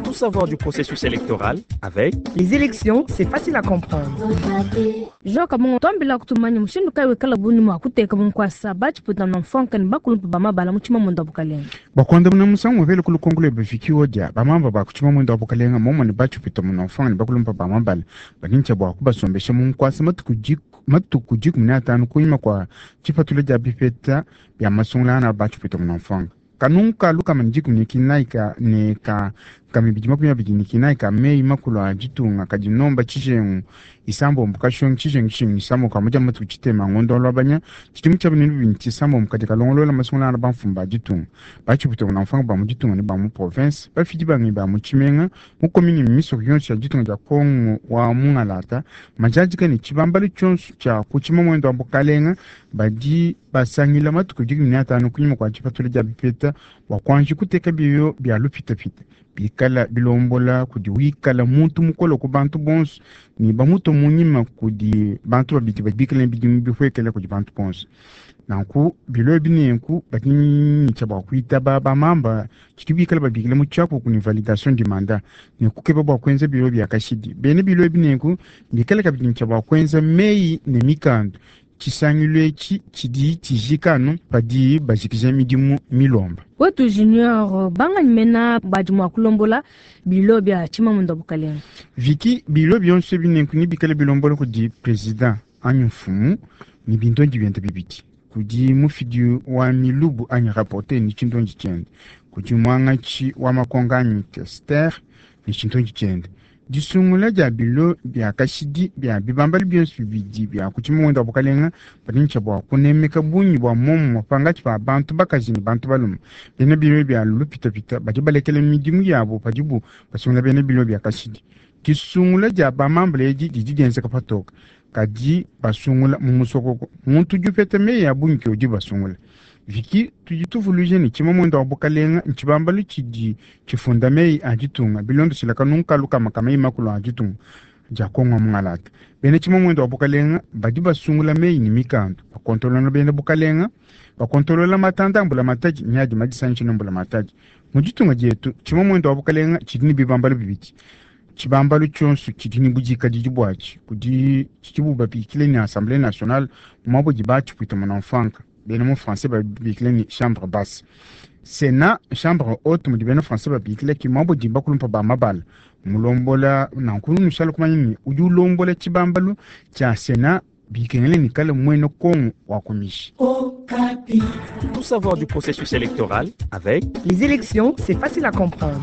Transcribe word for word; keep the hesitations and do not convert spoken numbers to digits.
Tout savoir du processus électoral avec Les élections, c'est facile à comprendre. João Kabongo twambila kutumanya mushindu kayi wikala buni mua kuteka munkuasa batshiputa na mfonka ne bakulumpa ba mabala mu tshimamunda wa bukalenga. Bakwandamuna musangu muvele ku lukongo lwebe vikiwo dia bamamba ba ku tshimamunda wa bukalenga momone batshipita muna mfanga ne bakulumpa ba mabala banintsha bua kubasombesha munkuasa matuku diku matuku dikumi ne atanu kunyima kua tshipatula dia bipeta bia masungula ana batshipita muna mfanga kanunka lukama ne dikumi ne kinayi ka ne ka kamibidi makumi abidi ne kinayi ka meyi makulu a ditunga kadi nomba tshijengu isambombo kashongi tshijengu tshingi isambombo kamudia matuku tshitema ngondo alwabanya tshidimu tshia binene bibini tshisambombo kadi kalongolola masungula ana bamfumu ba ditunga batshipita muna mfanga ba mu ditunga ne ba mu province bafidi bangi ba mu tshimenga mu commune misoko yonso ya ditunga dia kongo wa mungalata majadika ne tshibambalu tshionso tshia ku tshimamwendo wa bukalenga badi basangila matuku dikumi ne atanu kunyima kua tshipatula dia bipeta bua kuanji kuteka biyo bia lupitapita bikala bilombola kudi wikala muntu mukolo ku bantu bonso ne bamuto munyima kudi bantu babidi badi bikala ne bidimu bihuekela kudi bantu bonso. Nanku bilo ebi nenku badi tshia bua kuitaba bamamba tshidi bikala babikila mu tshiaku ku ni validation du mandat ne kukeba bua kuenza bilo bia kashidi. Bene bilo ebi nenku bikala kabidi tshia bua kuenza meyi ne mikanda tshisangilu etshi tshidi tshijikanu padi bajikija midimu milomba. Wetu Junior banganyi mena badi mua kulombola bilo bia tshimamunda wa bukalenga. Viki bilo bionso ebi nenku ne bikala bilombola kudi president anyi mfumu ne bindondi biende bibidi. Kudi mufidi wa milubu anyi rapporteur ne tshindondi tshiende. Kudi mwangatshi wa makonga anyi questeur ne tshindondi tshiende. Disungula dia bilo bia kashidi bia bibambalu bionso bibidi bia ku tshimamunda wa bukalenga badi ne tshia bua kunemeka bungi bua momumue pangatshi pa bantu bakaji ne bantu balume. Bena bilo bia lupitapita badi balekela midimu yabo padibu basungula bena bilo bia kashidi. Disungula dia bamambala edi didi dienzeka patoka kadi basungula mu musokoko. Muntu udi upeta meyi a bungi ke udi basungula. Viki tudi tuvuluija ne tshimamunda wa bukalenga ntshibambalu tshidi tshifunda meyi a ditunga bilondeshila kanunkalu kama ka meyi makulu a ditunga dia Kongo wa mungalata. Bena tshimamunda wa bukalenga badi basungula meyi ne mikanda bakontolola bena bukalenga bakontolola matanda a mbulamatadi ne adi madisangishe ne mbulamatadi. Mu ditunga dietu tshimamunda wa bukalenga tshidi ne bibambalu bibidi. Tshibambalu tshionso tshidi ne budikadidi buatshi kudi tshidibu babikile ne Assemblée nationale muabo di batshipwita muna mfanka. Bena mu français babikile ne chambre basse. Sénat chambre haute mudi bena français babikile ki muabo di bakulumpa ba mabala. Mulombola nanku nushala kumanya ne udi ulombola tshibambalu tshia Sénat bikengele ne kale mwene Kongo wa kumishi. Tout savoir du processus électoral avec Les élections, c'est facile à comprendre.